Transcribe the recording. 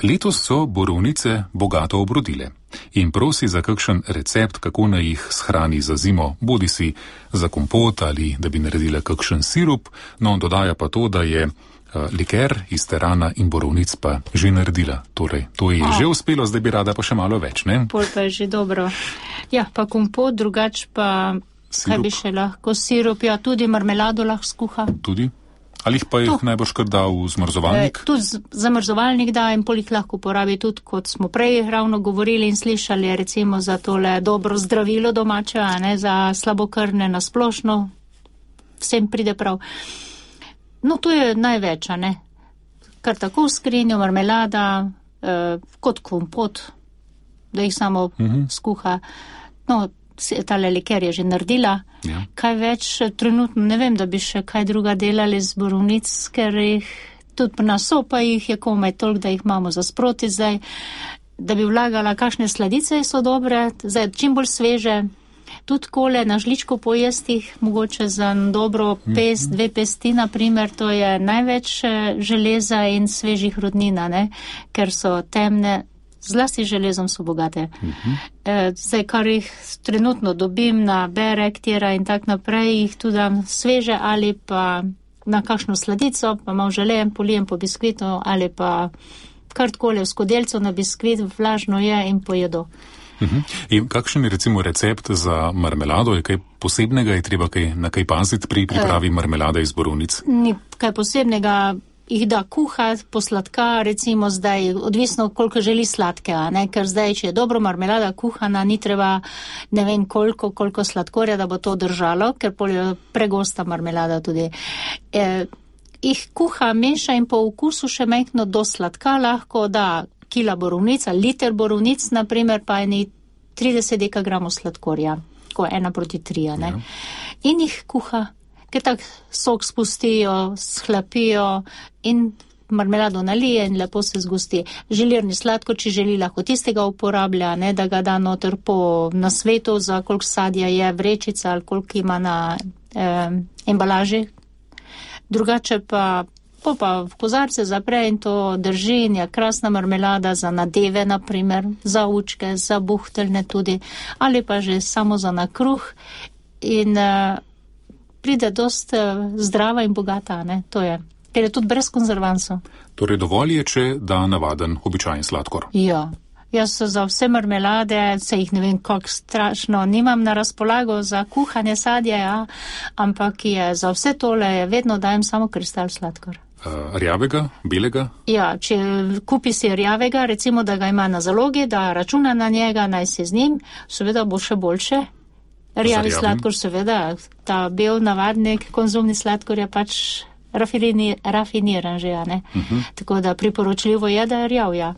Letos so borovnice bogato obrodile in prosi za kakšen recept, kako naj jih shrani za zimo, bodisi za kompot ali da bi naredila kakšen sirup, no dodaja pa to, da je liker iz terana in borovnic pa že naredila. Torej, to je že uspelo, zdaj bi rada pa še malo več, ne? Pol pa je že dobro. Ja, pa kompot, drugač pa, sirup. Kaj bi še lahko, sirup, ja, tudi marmelado lahko skuha. Tudi? Ali jih pa jih najbolj kar da v zmrzovalnik? Tudi zamrzovalnik da in pol jih lahko uporabi tudi, kot smo prej ravno govorili in slišali, recimo za tole dobro zdravilo domače, a ne, za slabokrvne na splošno, vsem pride prav. No, to je največ, a ne. Kar tako v skrinjo, marmelada, kot kompot, da jih samo skuha. No, tale liker je že naredila. Ja. Kaj več, trenutno ne vem, da bi še kaj druga delali z borovnic, ker jih tudi na sopa jih je komaj toliko, da jih imamo za sproti zdaj, da bi vlagala kakšne sladice, so dobre, zdaj čim bolj sveže. Tudi kole na žličko pojestih, mogoče za dobro pest, 2 pesti, na primer, to je največ železa in svežih rudnina, ne? Ker so temne, zlasti železom so bogate. Zdaj, kar jih trenutno dobim na berek, tira in tak naprej, jih tudi dam sveže ali pa na kakšno sladico, pa malo želejem, polijem po biskvitu ali pa kar takole v skodelcu na biskvit, vlažno je in pojedo. In kakšen je recimo recept za marmelado? Je kaj posebnega? Je treba na kaj paziti pri pripravi marmelade iz borovnic? Ni kaj posebnega, jih da kuhati, posladka, recimo zdaj, odvisno koliko želi sladke, a ne, ker zdaj, če je dobro marmelada kuhana, ni treba ne vem koliko sladkorja, da bo to držalo, ker pol je pregosta marmelada tudi. Jih kuha, meša in po okusu še majhno do sladka lahko da kila borovnic, liter borovnic, naprimer, pa eni 30 dekagramov sladkorja, ko 1:3, ne. Ja. In jih kuha, ker tak sok spustijo, schlapijo in marmelado nalije in lepo se zgosti. Želirni sladkor, če želi, lahko tistega uporablja, ne, da ga da noter po nasvetu, za koliko sadja je vrečica ali koliko ima na embalaži. Drugače pa v kozarce zapre in to drži in je krasna marmelada za nadeve, naprimer, za učke, za buhteljne tudi, ali pa že samo za nakruh in pride dost zdrava in bogata, ne, to je, ker je tudi brez konzervansov. Torej dovolj je, če da navaden, običajen sladkor. Ja. Jaz za vse marmelade, se jih ne vem, kako strašno, nimam na razpolago za kuhanje sadja, ja, ampak je za vse tole vedno dajem samo kristal sladkor. Rjavega, belega? Ja, če kupi si rjavega, recimo, da ga ima na zalogi, da računa na njega, naj se z njim, seveda bo še boljše. Rjavi sladkor, seveda, ta bel navadnik, konzumni sladkor je pač rafiniran že, ja, ne. Tako da priporočljivo je, da je rjav, ja.